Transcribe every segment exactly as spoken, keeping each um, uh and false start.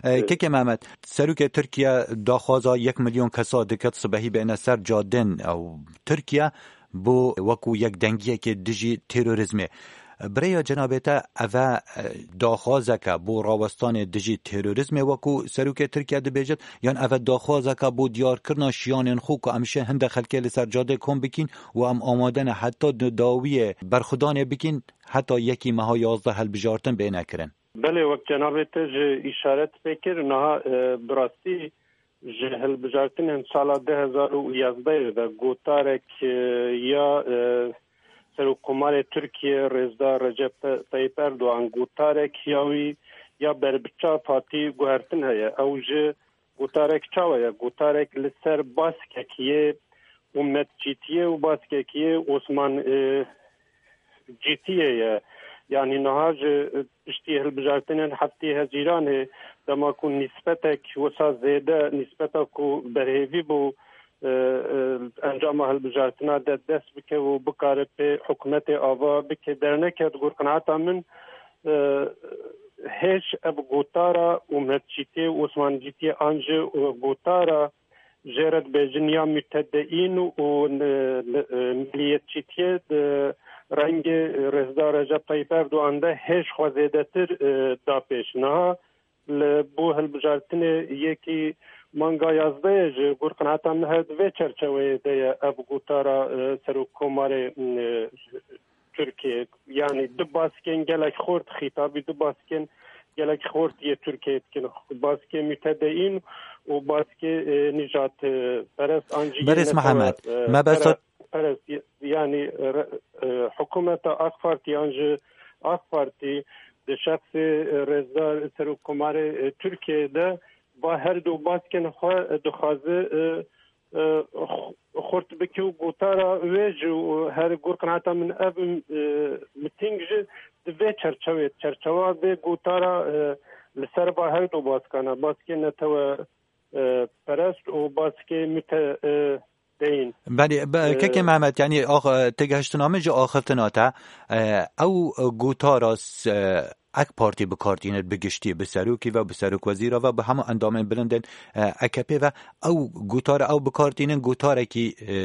E, Kekê Mehmet, Serokê Tirkiye daxwaza yek milyon kesa diket sibehî bêne ser cadên ew Tirkiye bo wekû yekdengiyekê dijî terorîzmê. Bi rêya cenabê te eve, e, daxwazeke bo rawestanê dijî terorîzmê wekû Serokê Tirkiye dibêjit, yan eve daxwazeke bo diyarkirina şiyanên xwe ku em şê hinde xelkê li ser cadê kom bikîn û em amade ne heta di dawiyê berxwedanê bikîn, heta yekî meha yazdeh hilbijartin bêne kirin? Belê, wek cenabê te ji îşaret pê kir, niha, e, bi rastî ji hilbijartinên sala du hezar û yazdeh de gotarek, e, ya, e, Serokkomarê Tirkiye Rêzdar Recep Te-, Tayyip Erdogan, gotarek ya wî ya berbiçav hatî guhertin heye. Ew ji gotarek çawa ye? Gotarek li ser baskek yê umetçîtiyê û baskek yê Osman, e, cîtiyê ye. Yanî niha ji piştî hilbijartinên heftê Hezîranê, dema ku nîsbetek wisa zêde, nîsbeta ku berhêvî bû, e, e, encama hilbijartina de dest bike û bikare pê hikûmetê ava bike derneket. Gor qenaeta min, e, hêj ev gotara umetçîtê, Osmancîtiyê an jî, e, gotara jê re dibêjin ya mütedeyîn û, e, e, milliyetçîtiyê di rengê Rêzdar Recep Tayyip Erdogan de hêj xwe zêdetir, e, da pêş. Niha li bo hilbijartinê yekî manga yazdehê ji gor qenaeta min her di vê çerçeveyê de ye ev gotara, e, Serokkomarê, e, Tirkiye, yanî du baskên gelek xurt, xîtabî du baskên gelek xurt yê Tirkiye dikin. Baskê mütedeyîn û baskê, e, nîjat, e, perest an jî yê Berêz netewe, Mihemed, e, me besa pere-, perest, yanî, e, re-, e, hikûmeta AK Partî an jî AK Partî di şexsê, e, Rêzdar Serokkomarê, e, Tirkiye de va her du baskên xwe dixwaze, e, e, xu-, xurt bike û gotara wê ji, û her gor qenaeta min ev, e, miting ji di vê çerçevê, çerçewa vê gotara, e, li ser va her du baskana, baskê netewe, e, perest û baskê müte-, e, deyîn. Belê, be-, E, Kekê Mehmet, yanî ax-, e, têgihiştina min ji axiftina te, e, ew gotara s-, e, AK Partî bi kar tînin bi giştî, bi serokî ve, bi serokwezîra ve, bi hemû endamên bilindên, e, A K P ve, ew gotara ew bi kar tînin gotarekî, e,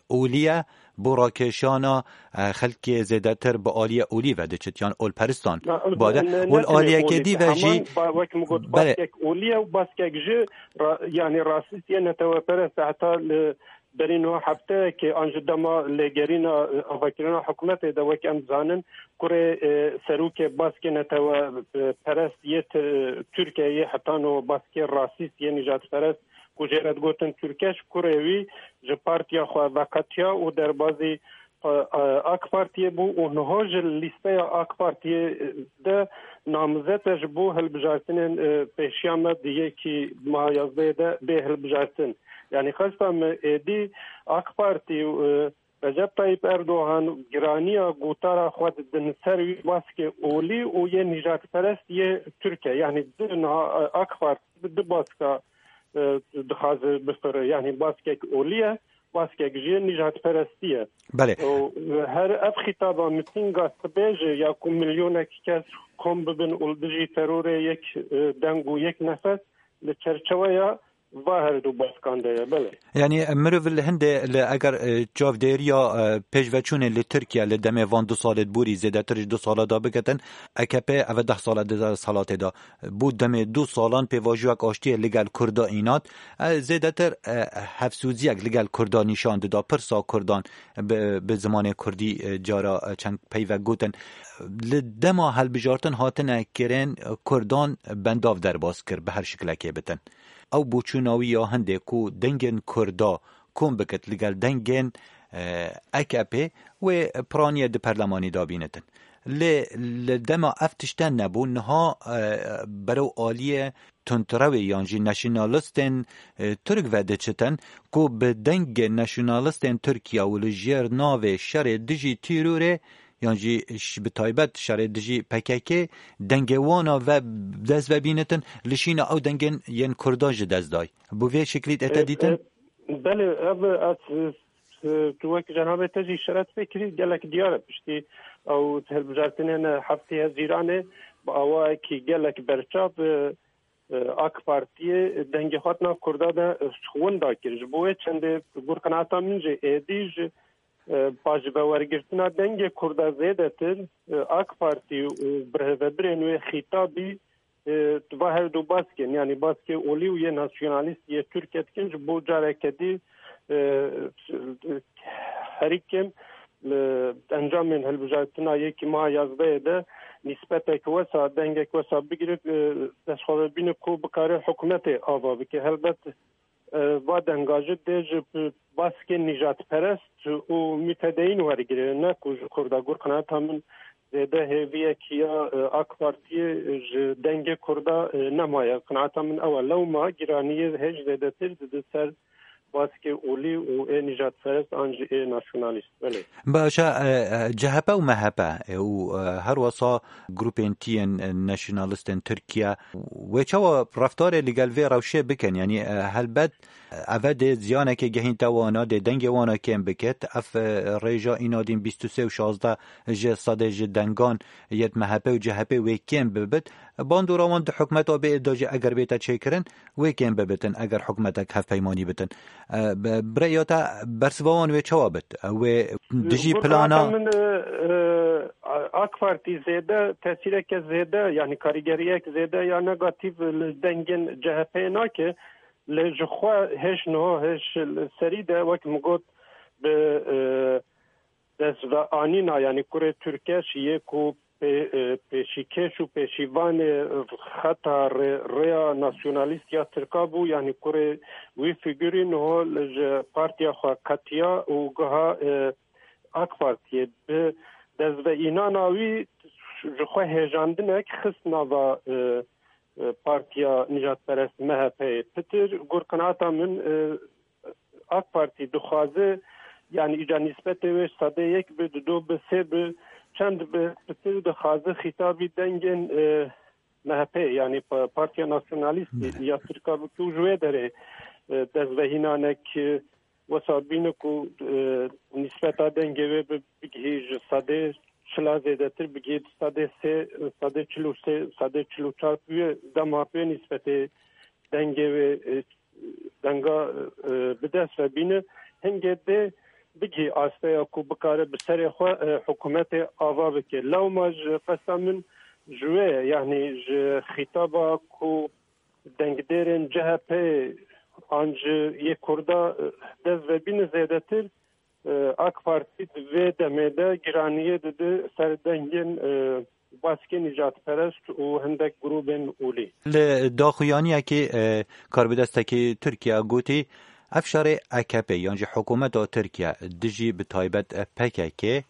olî ye bo rakêşana, e, xelkê zêdetir bi aliyê olî ve diçit, yan olperistan. Na, bade, ne, ne, ol ne tenê aliyekê olî, dî ve heman jî ba-, wek min got, belê. Baskek olî ye û baskek ji ra-, yanî rasîst ye, neteweperest e, heta li berî niha hefteyekê an ji dema lêgerîna, e, avakirina hikûmetê de, wek em dizanin, kurê, e, serokê baskê netewe, e, perest yê Ti-, Tirkiyeyê, heta niha baskê rasîst yê nîjadperest ku jê re digotin Türkeş, kurê wî ji partiya xwe veqetiya û derbazî, e, e, AK Partiyê bû û niha ji lîsteya AK Partiyê de namzet e ji bo hilbijartinên, e, pêşiya me di yekî meha yazdehê de bê hilbijartin. Yanî qesta me êdî AK Partî û, e, Recep Tayyip Erdogan giraniya gotara xwe didin ser wî baskê olî û yê nîjadperest yê Tirkiye. Yanî di niha, e, AK Partî bi du baska, e, dixwaze bifire. Yanî baskek olî ye, baskek jî nîjadperestî ye. Belê. Û her ev xîtaba mitînga sibê jî ya ku milyonek kes kom bibin û li dijî terorê yek, e, deng û yek nefes li çerçeweya va her du baskan de ye, belê. Yanî mirov li hindê li eger, e, çavdêriya, e, pêşveçûnê li Tirkiye li demê van du salê borî zêdetir ji du sala da biketin, A K P eve deh sala di desthilatê da. Bo demê du salan pêvajoyek aştiyê li gel Kurda înat, e, zêdetir, e, hevsoziyek li gel Kurda nîşan dida, pirsa Kurdan bi, bi zimanê Kurdî, e, cara, e, çend peyvek gotin. Li dema hilbijartin hatine kirin, Kurdan bendav derbas kir, bi her şiklekê bitin. Ew boçûna wî ya hindê ku dengên Kurda kom bikit li gel dengên, e, A K P wê piraniye di perlemanî de bînitin. Lê li dema ev tişte nebû, niha, e, berew aliyê tundrewê yan jî nasyonalistên, e, Tirk ve diçitin ku bi dengê nasyonalistên Tirkiye û li jêr navê şerê dijî tîrorê yan jî ş-, bi taybet şerê dijî P K K dengê wana ve dest ve bînitin, li şîna ew dengên yên Kurda ji dest day. Bi vê şeklî te E, dîtin? E, belê, ev ez, e, tu wek cenabê te jî şeret pê kirî, gelek diyar e piştî ew hilbijartinên heftê Hezîranê bi awayekî gelek berçav, e, e, AK Partiyê dengê xwe di nav Kurda de, e, winda kir. Ji bo wê çendê gur qenaeta min jî êdî ji, e, ba ji vewergirtina dengê Kurda zêdetir, e, AK Partî û birêvebirên wê xîtabî, e, va her du baskên, yanî baskê olî û yê nasyonalîst yê Tirkiye dikin, ji bo careke dî, e, herî kêm li encamên hilbijartina yekî meha yazdehê de nîsbetek wesa, dengek wesa bigire, e, destxwebebîne ku bikare hikûmetê ava bike. Helbet, e, va denga jî dê ji baskên nîjadperest û mutedeyîn wergire, ne ku ji Kurda. Gur qenaeta min zêde hêviyekî ya, e, AK Partiyê ji dengê Kurda, e, nemaye. Qenaeta min ew e. Lewma giraniyê hêj zêdetir dide ser baskê olî û ê nîjadperest an jî ê nasyonalîst. Belê. Baş e, e, C H P û M H P, e, û, e, her wesa grûpên tiyên, e, nasyonalistên Tirkiye, wê çawa reftarê li gel vê rewşê bikin? Yanî, e, helbet, e, eve dê ziyanekê gehînte wana, dê dengê wana kêm bikit. Ev, e, rêja înadîn bîst û sê û şazdeh ji sedê ji dengan yê M H P û C H P wê kêm bibit. Bandora wan di hikûmeta bê de jî eger bête çêkirin, wê kêm bibitin eger hikûmetek hevpeymanî bitin. E, bi, bi rêya te bersiva wan wê çawa bit? E, wê dijî Gur plana qenaeta min, e, e, AK Partî zêde tesîreke zêde, yanî karîgeriyek zêde ya negatîf li dengên C H P'yê nake. Lê ji xwe hêj niha, hêj li serî de, wek min got, bi, e, destveanîna, yanî kurê Tirkeş yê ku pê-, e, pêşîkêş û pêşîvanê xeta rê-, rêya nasyonalîst ya Tirka bû, yanî kurê wî fîgurî niho li ji partiya xwe qetiya û giha, e, AK Partiyê. Bi destveînana wî ji xwe hêjandinek xist nava, e, e, partiya nijadperest M H P'yê. Pitir, gur qenaeta min, e, AK Partî dixwaze, yanî îca nîsbetê wê ji sedê yek bi, dido bi, sê bi, çend bi, pitir dixwaze xîtabî dengên, e, M H P, yanî pa-, Partiya Nasyonalîst Belê. ya Tirka bike û ji wê derê, e, dezvehînanek, e, wesa bîne ku, e, nîsbeta dengê wê bi, bigihî ji sedê çila zêdetir, bigihî sedê sê, sedê çil û sê, sedê çil û çar, wê dema wê nîsbetê dengê wê, e, denga, e, bi dest ve bîne, hingê dê bigihî asteya ku bikare bi serê xwe, e, hikûmetê ava bike. Lewma ji qesta min ji wê ye, yanî ji xîtaba ku dengdêrên C H P an ji yê Kurda, e, dest ve bîne zêdetir, e, AK Partî di vê demê de giraniyê dide ser dengên, e, baskên nîjadperest û hindek grûbên olî. Li daxuyaniyekê, e, karbidestekî Tirkiye gotî, ev şerê A K P yan jî hikûmeta Tirkiye dijî bi taybet P K K,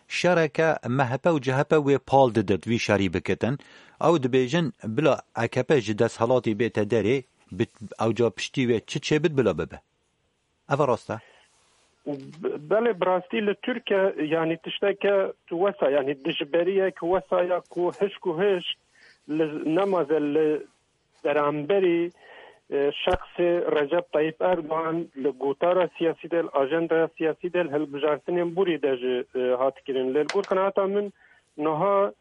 şereke M H P û C H P wê pal didit vî şerî bikitin. Ew dibêjin, bila A K P ji desthilatî bête derê, bi, ew ca piştî wê çi çêbit bila bibe. Ev rast e? Be-, belê, bi rastî li Tirkiye, yanî tişteke wesa, yanî dijberiyek wesa ya ku hişk û hişk li nemaze li beramberî, e, şexsê Recep Tayyip Erdogan li gotara siyasî de, li ajandaya siyasî de, li hilbijartinên borî de jî, e, hat kirin. Lê li gor qenaeta min niha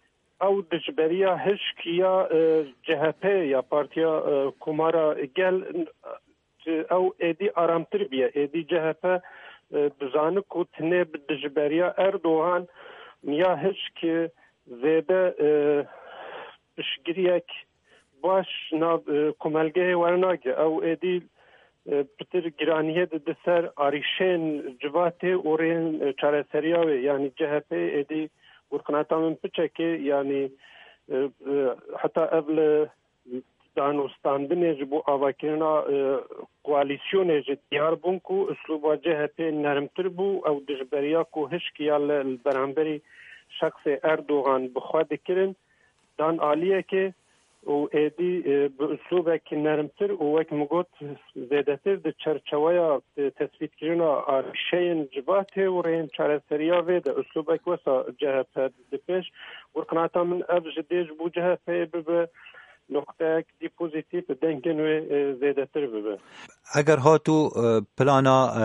ew dijberiya hişk ya, e, C H P ya Partiya, e, Komara Gel, e, ew êdî aramtir bûye. Êdî C H P, e, dizane ku tenê bi dijberiya Erdogan ya hişk zêde, e, piştgiriyek baş nav, e, komelgehê wernage. Ew êdî, e, pitir giraniyê dide ser arîşên civatê û rêyên, e, çareseriya wê. Yanî C H P êdî, gor qenaeta min piçekê, yanî, e, e, heta ev li danûstandinê ji bo avakirina, e, koalîsyonê jî diyar bûn ku uslûba C H P nermtir bû, ew dijberiya ku hişk ya li, li beramberî şexsê Erdogan bi xwe dikirin, dan aliyekê û êdî, e, bi uslûbekî nermtir û wek min got zêdetir di çerçeweya, e, tespîtkirina arîşeyên civatê û rêyên çareseriya vê de uslûbek wesa C H P dide pêş. Gor qenaeta min ev ji dê ji bo C H P'yê bibe noqteyek dî pozîtîf dengên wê, e, zêdetir bibe. Eger hat û, e, plana, e,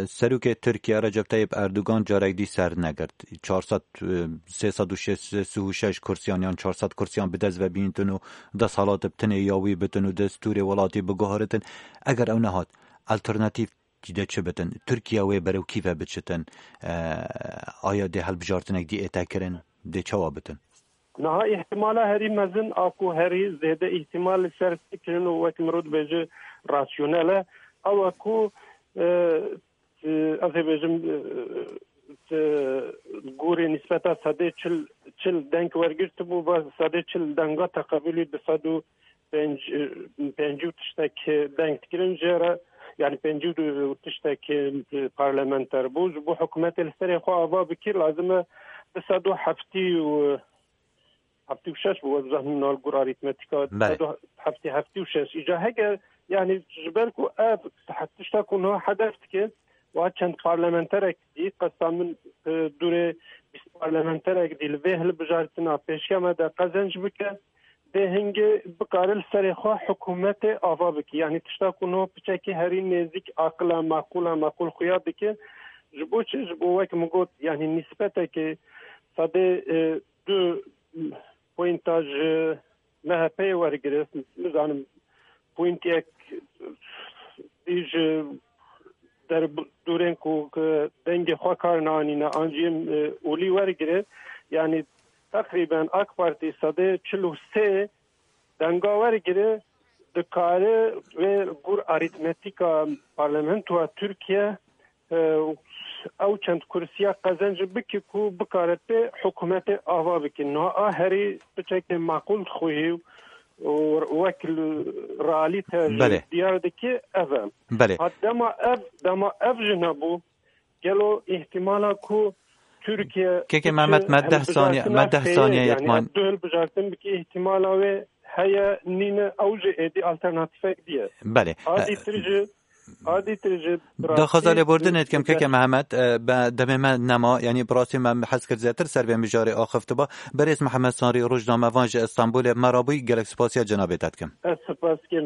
serokê Tirkiye Recep Tayyip Erdogan carek dî ser negirt, çar sed, e, sê sed û şêst û şeş kursiyan yan çar sed kursiyan bi dest ve bîntin û desthilat bi tinê ya wî bitin û destûrê welatî biguheritin, eger ew nehat, alternatîf dî de çi bitin? Tirkiye wê berew kî ve biçitin? E, aya dê hilbijartinek dî ête kirin? Dê çawa bitin? Niha îhtimala herî mezin a ku herî zêde îhtimal li ser fikirin û wek mirov dibêje rasyonel e, ew e ku, e, e, ez ê bêjim, e, e, gorê nîsbeta sedê çil, çil deng wergirtibû, va sedê çil denga teqebulî bi sed û pêncî û tiştek deng dikirin jê re, yanî pêncî û du tiştek parlamenter bû. Ji bo hikûmetê li serê xwe ava bikir, lazim e du sed û heftî û heftî û şeş bû, ez zanim nal gur arîtmetîka Belê. du sed û heftî, heftî û şeş. Îca hege, yanî ji ber ku ev tişta ku niha hedef dike, wa çend parlamenterek dî, qesta min, e, dûrê bîst parlamenterek dî li vê hilbijartina pêşiya me de qezenc bike, dê hingê bikare li serê xwe hikûmetê ava bike. Yanî tişta ku niha piçekî herî nêzîk aqila, maqûla, maqûl xuya dike. Ji bo çi? Ji bo wek min got, yanî nîsbetekê sedê, e, du poynta ji M H P'yê wergire, nizanim, poyntiyek dî ji derbûrên ku, ku dengê xwe kar nanîne, an jî, e, olî wergire, yanî teqrîben AK Partî sedê çil û sê denga wergire, dikare wê gor arîtmetîka parlamentoya Tirkiye, e, ew çend kursiya qezenc bike ku bikare pê hikûmetê ava bike. Niha a herî piçekê maqûl dixuhî û wek li realîte jî Belê. diyar dike ev e. Belê. Ha dema ev, dema ev jî nebû, gelo îhtimala ku Tirkiye Keke biçe Mehmet, me deh saniye, hilbijartina me deh saniye sêyê, yanî yetman. ev du hilbijartin bike îhtimala wê heye nîne, ew jî êdî alternatîfek diye. Belê. A E, dîtir jî, a dîtir jî Daxwaza lêbordinê dikim, keke Mehmet, e, be demê me nema, yanî bi rastî me hez kir zêtir ser vê mijarê axiftiba. Berêz Mehmet Sarî, rojnamevan ji Stenbolê, me rabûyî, gelek spasiya cenabê te dikim. Ez spas dikim.